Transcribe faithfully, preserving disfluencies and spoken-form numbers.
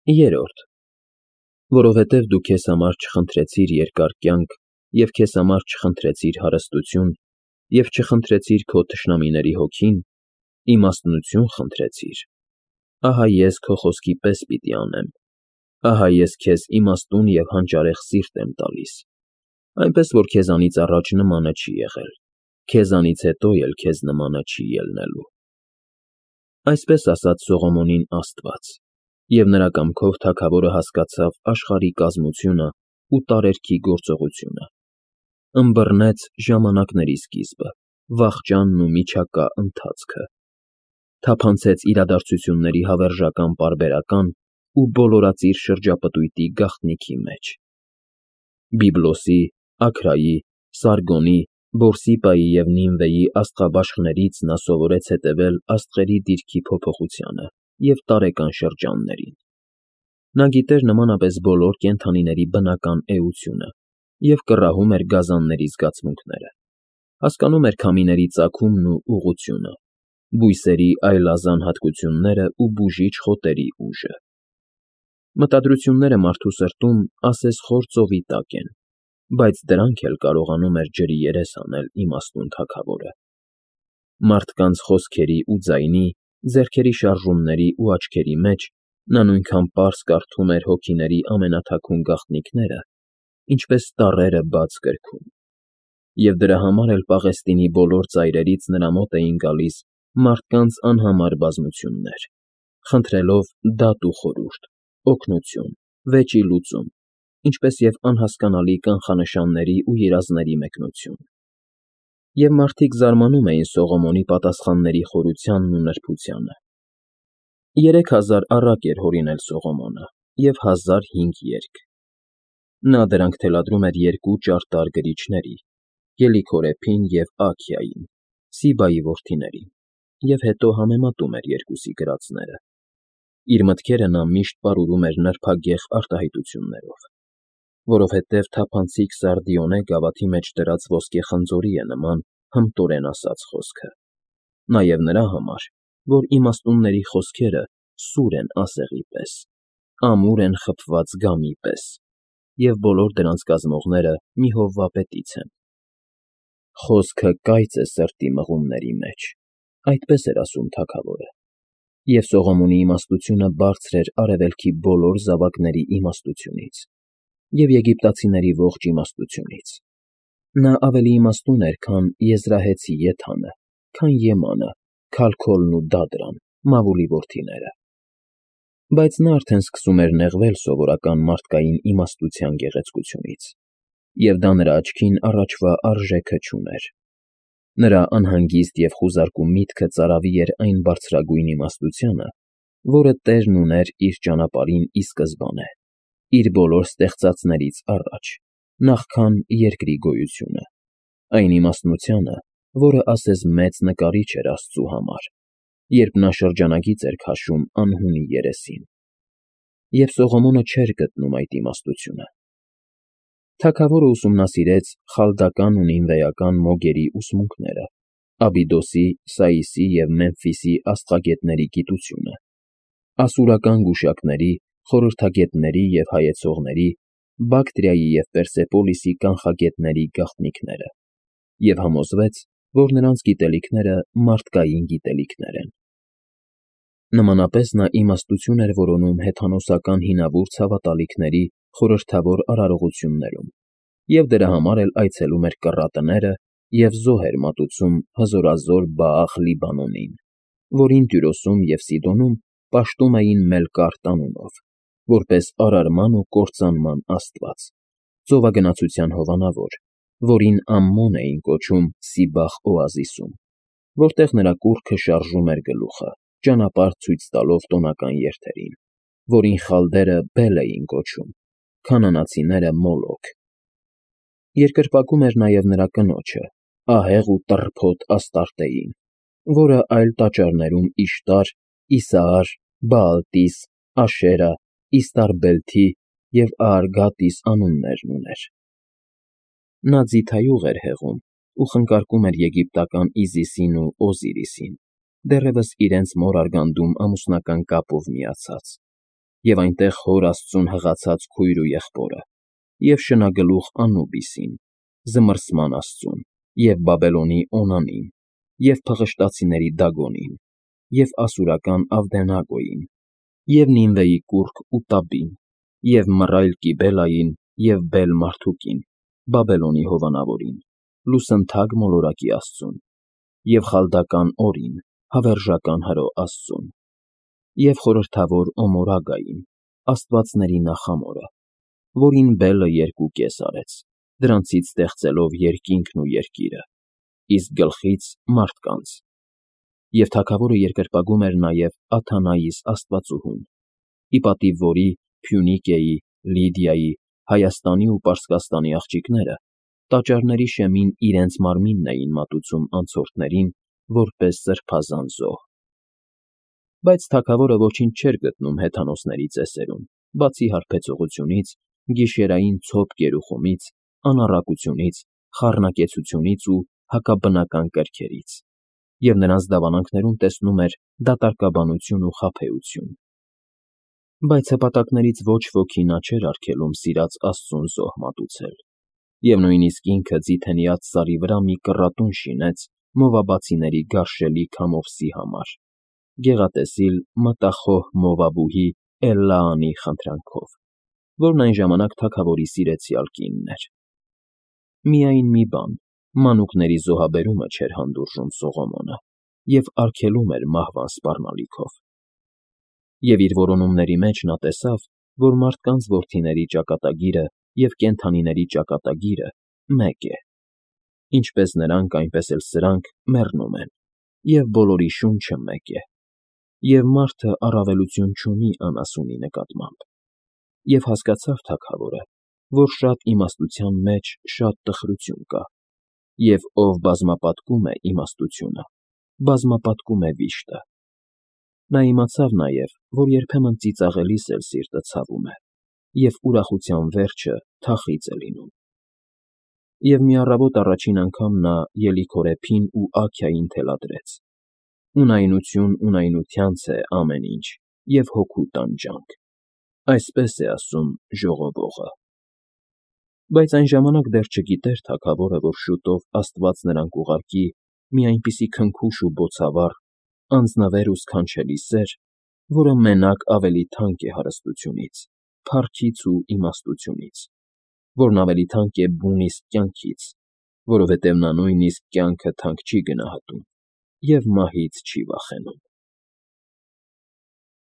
Երրորդ, որովհետև դու քեզ համար չխնդրեցիր երկար կյանք և քեզ համար չխնդրեցիր հարստություն և չխնդրեցիր քո թշնամիների հոգին, իմաստնություն խնդրեցիր, ահա ես քո խոսքի պես պիտի անեմ, ահա ես քեզ իմաստուն և հանճարեղ սիրտ եմ տալիս, այնպես որ քեզանից առաջ նմանը չի եղել, քեզանից հետո էլ քեզ նմանը չի ելնելու։ Այսպես ասաց Սողոմոնին Աստված, և նրա կամքով թագավորը հասկացավ աշխարհի կազմությունն ու տարերքի գործողությունը, ըմբռնեց ժամանակների սկիզբը, վախճանն ու միջակա ընթացքը, թափանցեց իրադարձությունների հավերժական պարբերական ու բոլորածիր շրջապտույտի գաղտնիքի մեջ։ Բիբլոսի, Աքրայի, Սարգոնի, Բորսիպայի և Նինվեի աստղաբաշխներից նա սովորեց հետևել աստղերի դիրքի փոփոխությանը և տարեկան շրջաններին։ Նա գիտեր նմանապես բոլոր կենդանիների բնական էությունը և կռահում էր գազանների զգացմունքները, հասկանում էր քամիների ծագումն ու ուղղությունը, բույսերի այլազան հատկությունները ու բուժիչ խոտերի ուժը։ Մտադրությունները մարդու սրտում ասես խոր ծովի տակ են, բայց դրանք էլ կարողանում էր ջրի երես անել իմաստուն թագավորը։ Մարդկանց խոսքերի ու ձայնի, ձեռքերի շարժումների ու աչքերի մեջ նա նույնքան պարզ կարդում էր հոգիների ամենաթաքուն գաղտնիքները, ինչպես տառերը բաց գրքում։ Եվ դրա համար էլ Պաղեստինի բոլոր ծայրերից նրա մոտ էին գալիս մարդկանց անհամար բազմություններ, խնդրելով դատ ու խորհուրդ, օգնություն, վեճի լուծում, ինչպես և անհասկանալի կանխանշանների ու երազների մեկնություն։ Եվ մարդիկ զարմանում էին Սողոմոնի պատասխանների խորությանն ու նրբությանը։ Երեք հազար առակ էր հորինել Սողոմոնը և հազար հինգ երգ։ Նա դրանք թելադրում էր երկու ճարտար գրիչների՝ Կելիքորեփին և Աքիային, Սիբայի որդիներին, և հետո համեմատում էր երկուսի գրածները։ Իր մտքերը նա միշտ պարուրում էր նրբագեղ արտահայտություններով, որովհետև թափանցիկ Սարդիոնե գավաթի մեջ դրած ոսկե խնձորի է նման հմտորեն ասած խոսքը, նաև նրա համար, որ իմաստունների խոսքերը սուր են ասեղի պես, ամուր են խբված գամի պես, և բոլոր դրանց կազմողները մի հովվապետից են։ Խոսքը կայծ է սրտի մղումների մեջ, այդպես էր ասում թագավորը, և Սողոմոնի իմաստությունը բարձր էր արևելքի բոլոր զավակների իմաստությունից և եգիպտացիների ողջ իմաստությունից։ Նա ավելի իմաստուն էր, քան եզրահեցի Եթանը, քան Եմանը, Քալքոլն ու Դադրան, Մավուլի որդիները։ Բայց նա արդեն սկսում էր նեղվել սովորական մարդկային իմաստության գեղեցկությունից, և դա նրա աչքին առաջվա արժեքը չուներ։ Նրա անհանգիստ և խուզարկու միտքը ծարավի էր այն բարձրագույն իմաստությանը, որը տեղն ուներ իր ճանապարհին ի սկզբանե, իր բոլոր ստեղծածներից առաջ, նախքան երկրի գոյությունը, այն իմաստնությանը, որը ասես մեծ նկարիչ էր Աստծու համար, երբ նա շրջանագիծ էր քաշում անհունի երեսին։ Եվ Սողոմոնը չէր գտնում այդ իմաստությունը։ Թագավորը ուսումնասիրեց խալդական ու նինվեական մոգերի ուսմունքները, Աբիդոսի, Սաիսի և Մեմֆիսի աստղագետների գիտությունը, ասորական գուշակների, խորհրդագետների և հայեցողների, Բակտրիայի և Պերսեպոլիսի կանխագետների գաղտնիքները և համոզվեց, որ նրանց գիտելիքները մարդկային գիտելիքներ են։ Նմանապես նա իմաստություն էր որոնում հեթանոսական հինավուրց հավատալիքների խորհրդավոր արարողություններում և դրա համար էլ այցելում էր կռատները և զոհ էր մատուցում հզորազոր Բաախ֊Լիբանոնին, որին Տյուրոսում և Սիդոնում պաշտում էին Մելկարտ անունով, որպես արարման ու կործանման աստված, ծովագնացության հովանավոր, որին Ամմոն էին կոչում Սիբախ օազիսում, որտեղ նրա կուռքը շարժում էր գլուխը, ճանապարհ ցույց տալով տոնական երթերին, որին խալդերը Բել էին կոչում, քանանացիները՝ Մոլոք։ Երկրպագում էր նաև նրա կնոջը՝ ահեղ ու տռփոտ Աստարտեին, որը այլ տաճարներում Իշտար, Իսահար, Բաալտիս, Աշերա, Իստարբելթի և Աարգատիս անուններն ուներ։ Նա ձիթայուղ էր հեղում ու խնկարկում էր եգիպտական Իզիսին ու Օզիրիսին, դեռևս իրենց մոր արգանդում ամուսնական կապով միացած, և այնտեղ Հոր Աստծուն հղացած քույր ու եղբորը, և շնագլուխ Անուբիսին, զմռսման աստծուն, և Բաբելոնի Օնանին, և փղշտացիների Դագոնին, և ասորական Ավդենագոյին, և Նինվեի կուռք Ուտաբին, և մռայլ Կիբելային և Բել֊Մարդուկին, Բաբելոնի հովանավորին, լուսնթագ մոլորակի աստծուն, և խալդական Օրին, հավերժական Հրո աստծուն, և խորհրդավոր Օմորագային, աստվածների նախամորը, որին Բելը երկու կես արեց, դրանցից ստեղծելով երկինքն ու երկիրը, իսկ գլխից՝ մարդկանց. և թագավորը երկրպագում էր նաև Աթանայիս աստվածուհուն, ի պատիվ որի Փյունիկիայի, Լիդիայի, Հայաստանի ու Պարսկաստանի աղջիկները տաճարների շեմին իրենց մարմինն էին մատուցում անցորդներին որպես սրբազան զոհ։ Բայց թագավորը ոչինչ չէր գտնում հեթանոսների ծեսերում, բացի հարբեցողությունից, գիշերային ցոփ կերուխումից, անառակությունից, խառնակեցությունից ու հակաբնական կրքերից, և նրանց դավանանքներում տեսնում էր դատարկաբանություն ու խաբեություն։ Բայց հպատակներից ոչ ոքի նա չէր արգելում սիրած աստծուն զոհ մատուցել, և նույնիսկ ինքը ձիթենյաց սարի վրա մի կռատուն շինեց մովաբացիների գարշելի քամովսի համար, գեղատեսիլ մտախոհ Մովաբուհի Էլլաանի խնդրանքով, որն այն ժամանակ թագավորի սիրեցյալ կինն էր։ Միայն մի բան՝ մանուկների զոհաբերումը չէր հանդուրժում Սողոմոնը և արգելում էր մահվան սպառնալիքով։ Եվ իր որոնումների մեջ նա տեսավ, որ մարդկանց որդիների ճակատագիրը և կենդանիների ճակատագիրը մեկ է, ինչպես նրանք, այնպես էլ սրանք մեռնում են, և բոլորի շունչը մեկ է, և մարդը առավելություն չունի անասունի նկատմամբ։ Եվ հասկացավ թագավորը, որ շատ իմաստության մեջ շատ տխրություն կա, և ով բազմապատկում է իմաստությունը, բազմապատկում է վիշտը։ Նա իմացավ նաև, որ երբեմն ծիծաղելիս էլ սիրտը ցավում է, և ուրախության վերջը թախիծ է լինում։ Եվ մի առավոտ առաջին անգամ նա ելիքորեփին ու Աքիային թելադրեց. «Ունայնություն ունայնությանց է ամեն ինչ, և հոգու տանջանք, այսպես է ասում ժողովողը»։ Բայց այն ժամանակ դեռ չգիտեր թագավորը, որ շուտով Աստված նրան կուղարկի մի այնպիսի քնքուշ ու բոցավառ, անձնվեր ու սքանչելի սեր, որը մենակ ավելի թանկ է հարստությունից, փառքից ու իմաստությունից, որն ավելի թանկ է բուն իսկ կյանքից, որովհետև նա նույնիսկ կյանքը թանկ չի գնահատում և մահից չի վախենում։